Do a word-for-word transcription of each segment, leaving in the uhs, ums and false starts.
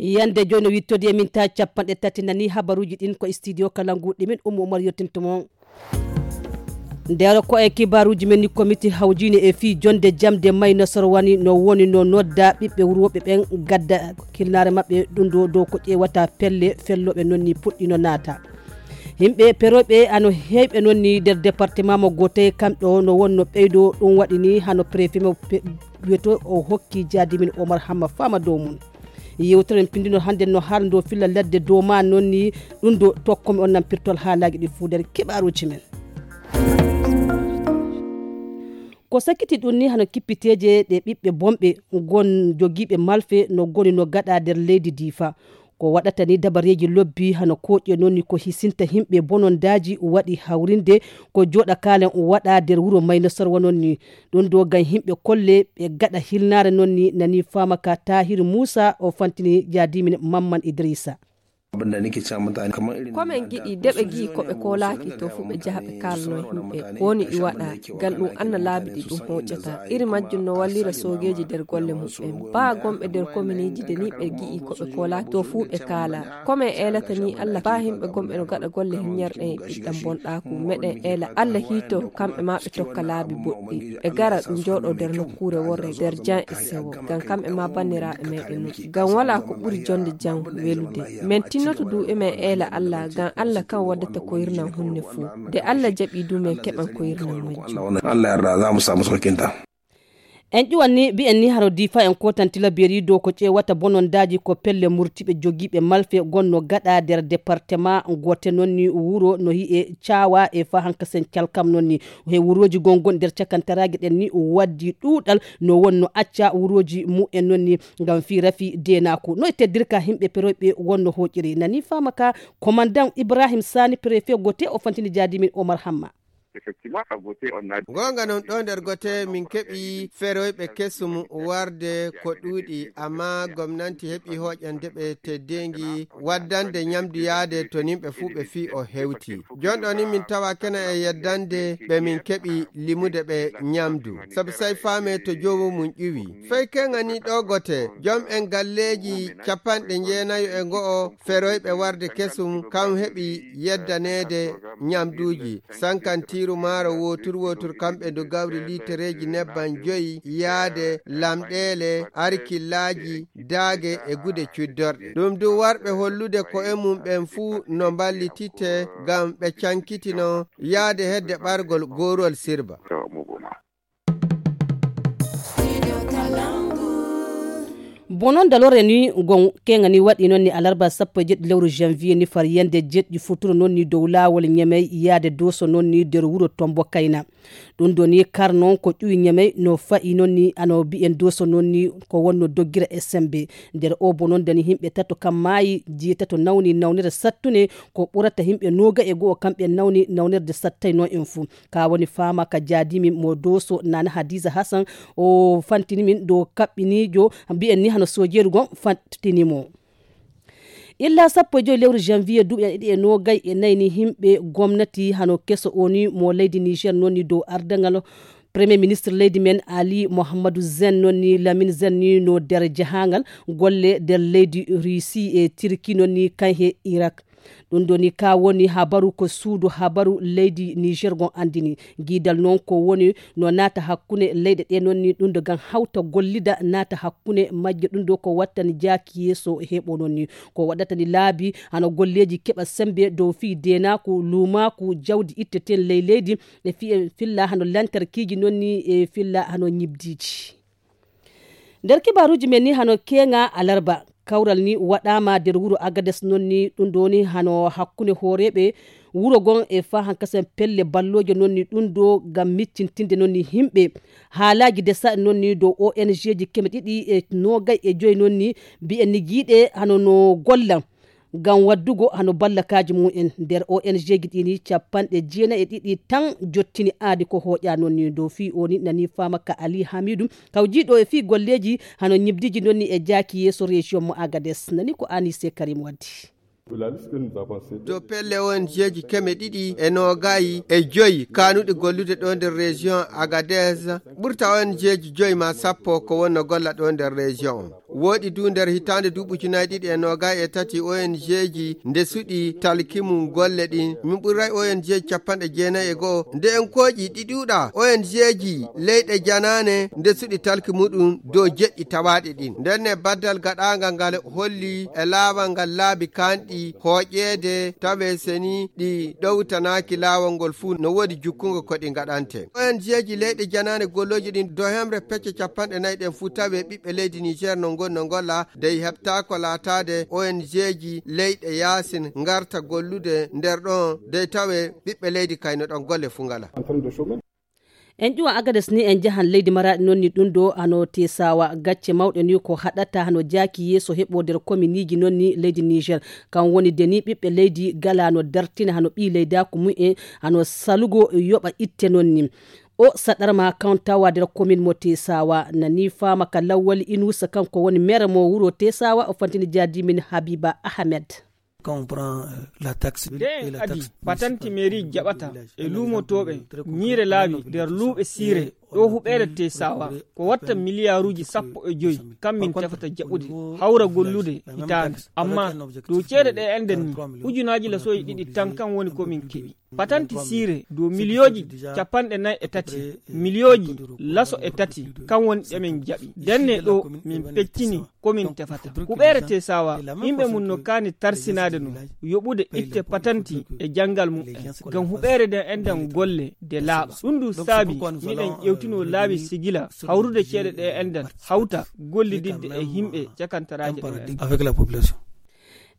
Yande jooni no wittodi e min ta capanɗe tati nani habaruuji ɗin ko e studio kala ngu ɗi min Ummu Umar yottinto mon. Nder ko e kibaaruuji men ni, komiti hawjiine e fii jonde jamde may nasoro wani no woni no nodda ɓiɓɓe wurooɓe ɓen gadda kilnaare maɓɓe ɗum ɗo dow ko ƴeewata pelle fellooɓe non ni puɗɗino naata. Yimɓe perooɓe ano heewɓe non ni nder département mo Gote kamɓe o no wonno ɓeydo ɗum waɗi ni hano préfet mo pe-, wiyeto o hokki jaadimin Omar Hamma fama dow mum. Yewtere men pindino hannde no haalndo filla ladde dow ma non ni ɗum ɗo tokkomi on nampirtol haalaaji ɗi fuu nder keɓaaruuji men. Ko sakkiti ɗum ni hano kippiteeje ɗe ɓiɓɓe bonɓe gon jogiiɓe malfe no goni no gaɗa nder leydi Diifa. Ko waɗata ni dabareeji lobbi hano kooƴe non ni ko hisinta yimɓe bonondaaji waɗi hawrinde ko jooɗa kaalen waɗa nder wuro Mayno Sorwa non ni. Ɗum ɗo gam yimɓe kolle ɓe gaɗa hilnaare non ni nani faama ka Tahiru Muusa o fantini jaadimin Mamman Idrisa. Ko men giɗi de ɓe gi'i ko ɓe koolaaki to fu ɓe jaha ɓe kaalno yimɓe ko woni ɗi waɗa gal ɗum anna laabi ɗi ɗum hooƴata. Iri majjum no wallira soogeeji nder golle muɓɓen. Baa gomɓe nder kominiiji de ni ɓe gi'i ko ɓe koolaaki to fu ɓe kaala. Ko men eelata ni Allah baa yimɓe gomɓe no gaɗa golle hinnyarɗe e ɓiɗɗam bonɗaaku. Meɗen eela Allah hiito kamɓe ma ɓe tokka laabi boɗɗi. Ɓe gara ɗum jooɗo nder nokkuure worre nder jan e sewo. Ngam kamɓe ma banniraaɓe meɗen non. Ngam walaa ko ɓuri jonde jam welude. Men tinnoto du emen eela Allah, ngam Allah kan waddata ko yirnan hunde fuu. Nde Allah jaɓi du men keɓan ko yirnan majjum. Allah yarda, za mu samu saukinta. En ƴuwan ni, mbi'en ni haro Diifa en kootan tilaberi dow ko ƴeewata bonondaaji ko pelle murtiɓe jogiiɓe malfe gonno gaɗa nder département goote non ni wuro no hi'e Caawa e fa hankasen Calkam non ni. He wurooji gongon nder cakantaraaji ɗen ni waddi ɗuuɗal no wonno acca wurooji mu'en non ni ngam fii rafi deenaaku. No e teddirka himɓe peroyɓe wonno hooƴiri. Nani faama ka, komandan Ibrahim Sani, préfet Gote, o fantini jaadimin Omar Hamma. Effectivement, à Gote, on a Goonga non, ɗo nder Gote min keɓi feroyɓe kesum warde ko ɗuuɗi, amma gomnanti heɓi hooƴande ɓe teddeengi waddande ñamdu yaade to nimɓe fuu ɓe fii o hewti. Jon ɗo ni min tawa kena e yeddande ɓe min keɓi limude ɓe ñamdu. Sabu say faame to joomum ƴuwi. Fey keŋani ɗo Gote, jom en galleeji capanɗe jeenayo e go'o feroyɓe warde kesum, kam heɓi yeddaneede ñamduuji. Sankantiiru maaro wootur wootur kamɓe ndu gawri liitereeji nebban joyi yaade lamɗeele, arkillaaji, daage e gude cuddorɗe. Ɗum du warɓe hollude ko'e mum ɓen fuu no mballititte ngam ɓe cankitino yaade hedde ɓargol goorol sirba. Bonon dalore ni gon keŋa ni waɗi non ni alarba sappo e jeɗɗi lewru janvier ni far yande jeɗɗi futuro non ni dow laawol Ñamey yaade Dooso non ni nder wuro Tombo Kayna. Ɗum ɗo ni kar non ko ƴuwi Ñamey no fa'i non ni ano bi'en Dooso non ni ko wonno doggira S M B. Nder o bononda ni yimɓe tato kam maayi, jeetato nawni nawnere sattunde ko ɓurata yimɓe nooga e go'o kamɓe nawni nawnerde sattay non en fuu. Ka woni faama ka jaadimi mo Dooso Nana Hadiza Hassan o fantini min dow kaɓɓiniijo mbi'en ni hano soojeeru gon fantini mo. Illa sappo e joyi lewru janvier duuɓi ɗiɗi e noogay e nayi ni yimɓe gomnati hano keso o ni mo leydi Niger non ni dow ardangal Premier ministre leydi men Ali Mohammadu Zen non ni Lamine Zen ni no nder jahangal golle nder leydi Russie e Turquie non ni kan he Irak. Ɗum ɗo ni ka woni habaru ko suudu habaru leydi Niger gon andini. Giidal non ko woni no naata hakkunde leyɗe ɗe non ni ɗum ɗo gam hawta gollida naata hakkunde majje ɗum ɗo ko wattani jaaki yeeso heɓo non ni. Ko waɗata ni laabi hano golleeji keɓa sembe dow fii deenaaku, luumaaku, jawdi itteten ley leydi, e fii e filla hano lantarkiiji non ni e filla hano ñibdiiji. Nder kibaaruuji men ni hano keeŋa alarba, kawral ni waɗaama nder wuro Agades non ni ɗum ɗo ni hano hakkunde hooreeɓe wuro gon e faa hankasen pelle ballooje non ni ɗum ɗo ngam miccintinde non ni yimɓe. Haalaaji desa non ni dow O N G ji keme ɗiɗi e noogay e joyi non ni mbi'en ni giiɗe hano no golla ngam waddugo hano ballakaaji mum en. Nder O N G ji ɗi ni capanɗe jeenayi e ɗiɗi tan jottini aadi ko hooƴa non ni dow fii o ni nani faama ka Ali Hamidu kawjiiɗo e fii golleeji hano ñibdiiji non ni e jaaki yeeso région mo Agades. Nani ko Anise Karim waddi. Dow pelle O N G ji keme ɗiɗi e noogayi e joyi kaanuɗi gollude ɗo nder région Agadez, ɓurta O N G ji joyi ma sappo ko wonno golla ɗo nder région on. Woɗi du nder hitaande duuɓi ujunaaji ɗiɗi e noogaay e tati, O N G ji nde suɗi talki mum golle ɗin. Min ɓurray O N G capanɗe jeenayi e go'o. Nde en kooƴi ɗi ɗuuɗa, O N G ji leyɗe janaane nde suɗi talki muɗum dow jeɗɗi tawaaɗi ɗin. Nden ne baddal gaɗaangal ngal holli e laawal ngal laabi kanɗi hooƴeede tawe seni ɗi ɗowtanaaki laawol ngol fuu no woodi jukkungo ko ɗi ngaɗante. O N G ji leyɗe janaane gollooji ɗin dow hemre pecce capanɗe nayi ɗen fuu tawe ɓiɓɓe leydi Niger no ngoni no ngolla dey heɓtaako laataade O N G ji leyɗe yaasin ngarta gollude nder ɗon dey tawe ɓiɓɓe leydi kay no ɗon golle fuu ngala. En ƴuwa Agades ni en njahan leydi Maraɗi noon ni ɗum ɗo hano Tesawa gacce mawɗe ni ko haɗata hano jaaki yeeso heɓo nder kominiiji noon ni leydi Niger. Kan woni de ni ɓiɓɓe leydi gala no dartina hano ɓii leydaaku mumen hano salugo yoɓa itte noon ni. O saɗarma kan tawa nder komin mo Tesawa nani faama ka lawwali Inusa kanko woni mere mo wuro Tesawa o fantini jaadi min Habiba Ahmed. Quand on prend, euh, la taxe, nde en adi patanti mairie jaɓata e luumotooɓe ñiire laabi nder luuɓe siire ɗo huɓeere Tesawa ko watta miliyaaruuji sappo e joyi kam min tefata jaɓude hawra gollude hitaande. Amma dow ceede ɗe enɗen ni ujunaaji lasoyi ɗiɗi tan kan woni ko min keɓi. Patanti siire dow miliyooji capanɗe nayi e tati miliyooji laso e tati kan woni ɗe min jaɓi. Ndenne ɗo min peccini ko min tefata. Huɓeere Tesawa yimɓe mum no kaani tarsinaade no yoɓude itte patanti e janngal mum en ngam huɓeere nden enɗan golle de laaɓa. Ɗum ɗum saabi miɗen ƴewtino laabi sigila hawrude ceede ɗe enɗan hawta gollididde e yimɓe cakantaraaje ɗe enɗan.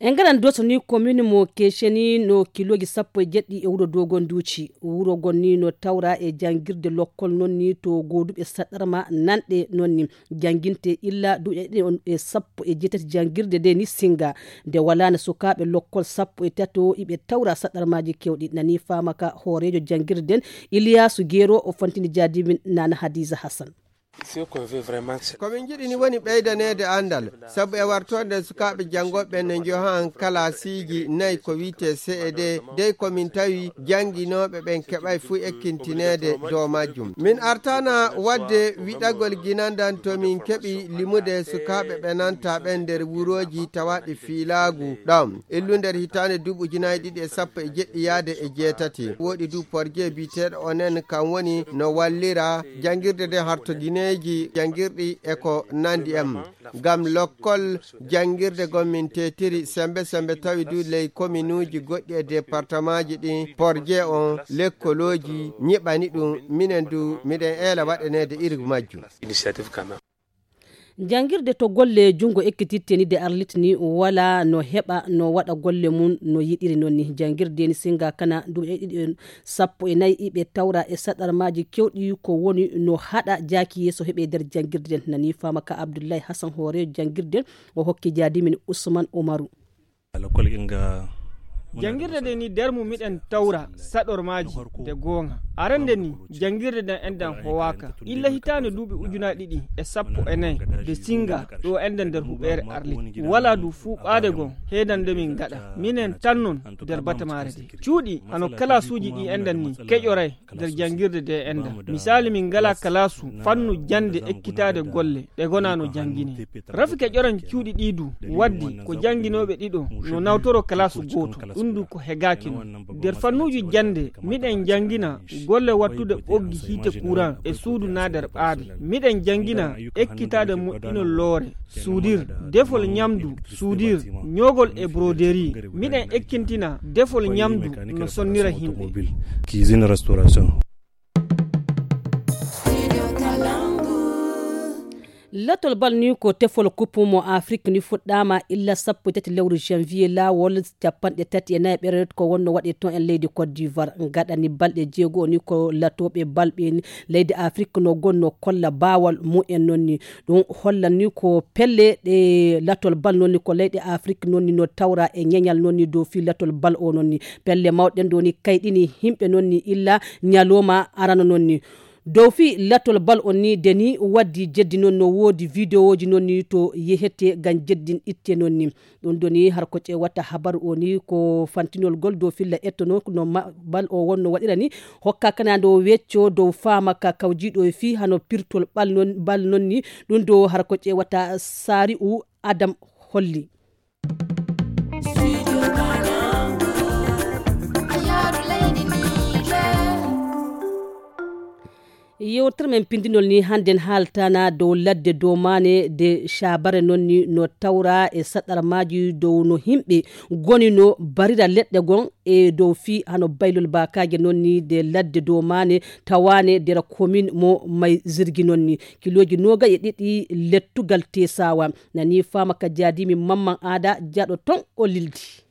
En ngaɗan doso ni commune mo Keceni no kilooji sappo e jeɗɗi e wuro Dogon Duuci. Wuro gon ni no tawra e janngirde lokkol non ni to gooduɓe saɗɗarma nanɗe non ni jannginte illa duuɗe ɗiɗi on e sappo e jeetati janngirde nde ni singa. Nde walaano sukaaɓe lokkol sappo e tato iɓe tawra saɗɗarmaaji kewɗi nani faama ka hooreejo janngirde nden Iliyaasu Geero o fantini jaadimin Nana Hadiza Hassan. Ko min njiɗi ni woni ɓeydaneede anndal, sabu e wartoonde sukaaɓe janngooɓe ɓen ne njohan kalaasiiji nayi ko wiyetee C E D, dey ko min tawi jannginooɓe ɓen keɓay fuu ekkintineede dow majjum. Min artaana waɗde wiɗagol ginandan to min keɓi limude sukaaɓe ɓe nanta ɓen nder wurooji tawaaɗi fiilaagu ɗon. Illu nder hitaande duuɓi ujunaaji ɗiɗi e sappo e jeɗɗi yaade e jeetati. Woɗi du porje biyeteeɗo onen kan woni no wallira janngirde nde harto gineeji janngirɗi e ko nanndi en. Ngam lokkol janngirde gon min teetiri sembe sembe tawi du ley kominuuji goɗɗi e departamaaji ɗin porje on lekkolooji ñiɓani ɗum minen du miɗen eela waɗaneede iri majjum. Janngirde to golle junngo ekkititte ni de arlit ni wala no heɓa no waɗa golle mum no yiɗiri noon ni janngirde ni singa kana duuɓi ɗiɗi sappo e nayi iɓe tawra e saɗarmaaji kewɗi ko woni no haɗa jaaki yeeso heɓe nder janngirde nden nani faama ka Abdullahi Hassan hoore janngirde o hokki jaadimin Usman Umaru. Janngirde nde ni nder mum miɗen tawra saɗormaaji de goonga. Arande ni janngirde nden enɗan howaaka illa hitaande duuɓi ujunaaji ɗiɗi e sappo e nayi de singa ɗo enɗan nder huɓeere arlit wala du fuuɓaade gon heedan nde min ngaɗa minen tan non nder batamaare de cuuɗi hano kalaasuuji ɗi enɗan ni keƴoray nder janngirde de enɗan. Misaali min ngala kalaasu fannu jannde ekkitaade golle ɗe ngonaa no janngine. Rafi keƴoran cuuɗi ɗi du waddi ko jannginooɓe ɗiɗo no nawtoro kalaasu gooto ɗum du ko hegaaki non. Nder fannuuji jannde miɗen janngina golle wattude ɓoggi hiite kuran e suudu naa nder ɓaade. Miɗen janngina ekkitaade moƴƴinol loore, suudir, defol ñamdu, suudir, ñoogol e broderie. Miɗen ekkintina defol ñamdu no sonnira yimɓe. Cuisine, restauration. Latol bal ni ko tefol coupe mo Afrique ni fuɗɗaama illa sappo e tati lewru janvier laawol capanɗe tati e nayi ɓeret ko wonno waɗe toon en leydi Côte d'Ivoire gaɗani balɗe jeego ni ko latooɓe balɓe ni leydi Afrique no gonno kolla baawal mumen noon ni. Ɗum hollan ni ko pelle ɗe latol bal noon ni ko leyɗe Afrique noon ni no tawra e ñeñal noon ni dow fii latol bal o noon ni pelle mawɗen ɗo ni kayɗini yimɓe noon ni illa ñalooma arano noon ni. Dow fii lattol bal on ni, de ni waddi jeddi non, no woodi videoji non ni to yehete ngam jeddin itte non ni. Ɗum ɗo ni har ko ƴeewata habaru o ni ko fantinol gol dow filla ettono no ma-, bal o wonno waɗira ni. Hokka kana ndo wecco dow faama ka kawjiiɗo e fii hano pirtol bal non, bal non ni. Ɗum ɗo har ko ƴeewata Sari'u Adam holli. Yewtere men pindinol ni hannden haaltana dow ladde domaane de Caabare non ni no tawra e saɗarmaaji dow no himɓe goni no barira leɗɗe gon e dow fii hano baylol baakaaje non ni de ladde domaane tawaane dera komin mo may zirgi non ni. Kilooji nooga e ɗiɗi lettugal teesawa. Nani faama ka jaadimi mamman aada jaɗo ton o lildi.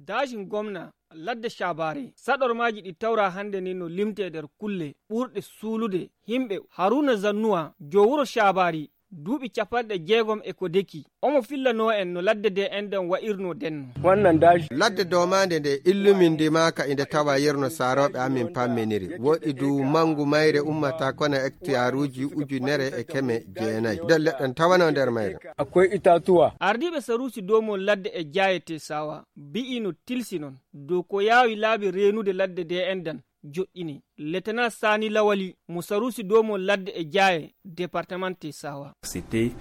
Daajin gomna ladde Caabare, saɗormaaji ɗi tawra hannde ni no limtee nder kulle ɓurɗe suulude himɓe. Haruna Zannuwa, jo wuro Caabaari, duuɓi capanɗe jeegom e ko deki. Omo fillanoo en no ladde de enɗan wa'irnoo denno. Ladde doomaande nde illumin ndimaaka inde tawa yerno saarooɓe amin pamminiri. Woɗi du manngu mayre ummata kona hektaruuji ujunere e keme jeenayi. Nder leɗɗe tawanoo nder mayre. Akwai itatuwa. Ardiiɓe saruusi doomol ladde e jaayete sawa, bi'i no tilsi non dow ko yaawi laabi reenude ladde de enɗan joɗɗini. Letena Sani Lawali mo saruusi doomol ladde e jaaye departamante sawa. C'était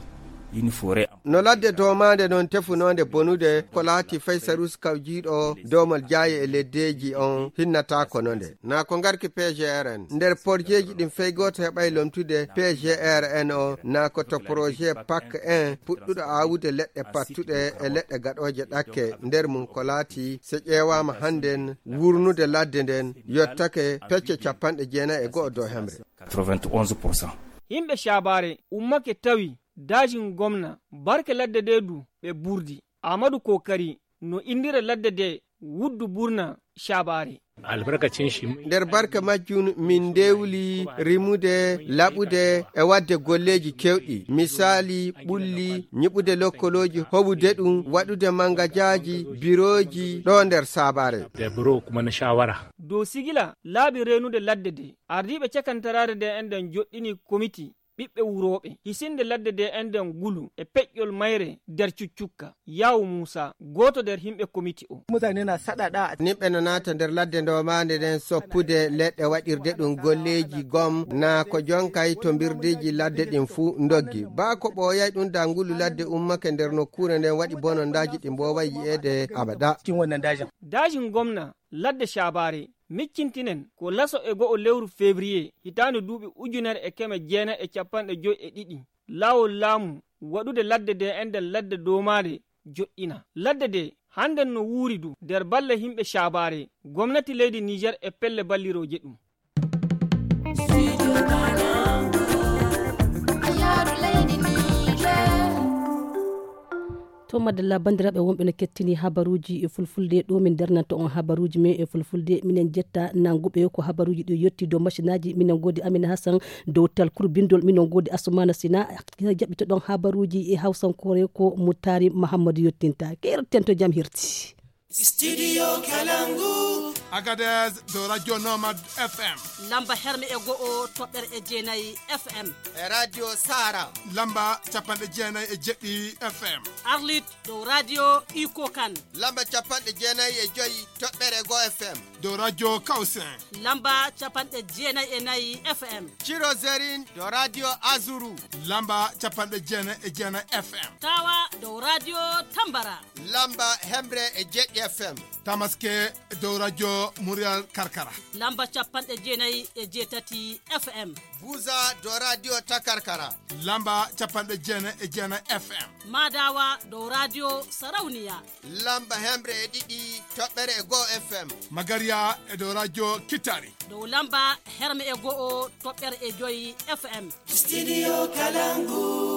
une forêt. No ladde doomaande non tefunoonde bonude ko laati fay saruusi kawjiiɗo doomol jaaye e leddeeji on hinnata ko no nde. Na ko ngarki P G R N. Nder porjeeji ɗin fay gooto heɓay lomtude P G R N o, na ko to projet pak en puɗɗuɗo aawude leɗɗe pattuɗe e leɗɗe gaɗooje ɗakke nder mum ko laati so ƴeewaama hannden wurnude ladde nden yottake pecce capanɗe jeenayi e go'o dow hemre. Quatre-vingt-onze pour cent. Himɓe Caabaare ummake tawi daajin gomna barke ladde de du ɓe burdi. Amadu Kokari no indira ladde de wuddu burna Caabaare. Albarkacin shi. Nder barke majjum min ndewli rimude, laɓude e waɗde golleeji kewɗi. Misaali, ɓulli, ñiɓude lokkolooji, hoɓude ɗum, waɗude mangajaaji, birooji ɗo nder Saabaare. Da biro kuma na shawara. Dow sigila laabi reenude ladde de, ardiiɓe cakantaraare de enɗan joɗɗini komiti ɓiɓɓe wurooɓe, hisinde ladde de enɗan gulu e peƴƴol mayre nder cuccukka. Yaawu Muusa, gooto nder himɓe komiti o. Mutane na saɗaɗa. Nimɓe no naata nder ladde ndomaande nden soppude leɗɗe waɗirde ɗum golleeji gom, na ko jonkay to mbirdeeji ladde ɗin fuu ndoggi. Baa ko ɓooyay ɗum dangulu ladde ummake nder nokkuure nden waɗi bonondaaji ɗi mbooway yi'eede abada. Cikin wannan dajin. Dajin gomna ladde Caabaare, miccintinen ko laso e go'o lewru février hitaande duuɓi ujunere e keme jeenayi e capanɗe joy e ɗiɗi. Laawol laamu waɗude ladde de enɗan ladde doomaare joɗɗina. Ladde de hannden no wuuri du nder balle himɓe Caabaare, gomnati leydi Niger e pelle ballirooje ɗum. To madalla, banndiraaɓe wonɓe no kettini habaruuji e fulfulde, ɗo min darnanta on habaruuji men e fulfulde. Minen jetta nannguɓe ko habaruuji ɗi yotti dow machinaaji. Minen ngoodi Amina Hassan dow talkuru binndol, minen ngoodi Asumana Sina. Jaɓɓitoɗon habaruuji e hawsankoore ko Muttari Mahammadu yottinta. Keerten to jam hirti. Studio Kalangu. Agadez dow Radio Nomad F M. Lamba herme e go'o toɓɓere e jeenayi F M. E Radio Sara. Lamba capanɗe jeenayi e jeɗɗi F M. Arlit dow Radio Iko Kan. Lamba capanɗe jeenayi e joyi toɓɓere go F M. Dow Radio Kausen. Lamba capanɗe jeenayi e nayi F M. Cirozerin dow Radio Azuru. Lamba capanɗe jeenayi e jeenayi F M. Tawa dow Radio Tambara. Lamba hemre e jeɗɗi F M. Tamaske dow Radio Murial Karkara. Lamba capanɗe jeenayi e jeetati F M. Buza dow Radio Takarkara. Lamba capanɗe jeenayi e jeenayi F M. Madawa dow Radio Sarauniya. Lamba hemre e ɗiɗi toɓɓere e go'o F M. Magariya e dow Radio Kitari. Dow lamba herme e go'o toɓɓere e joyi F M. Studio Kalangu.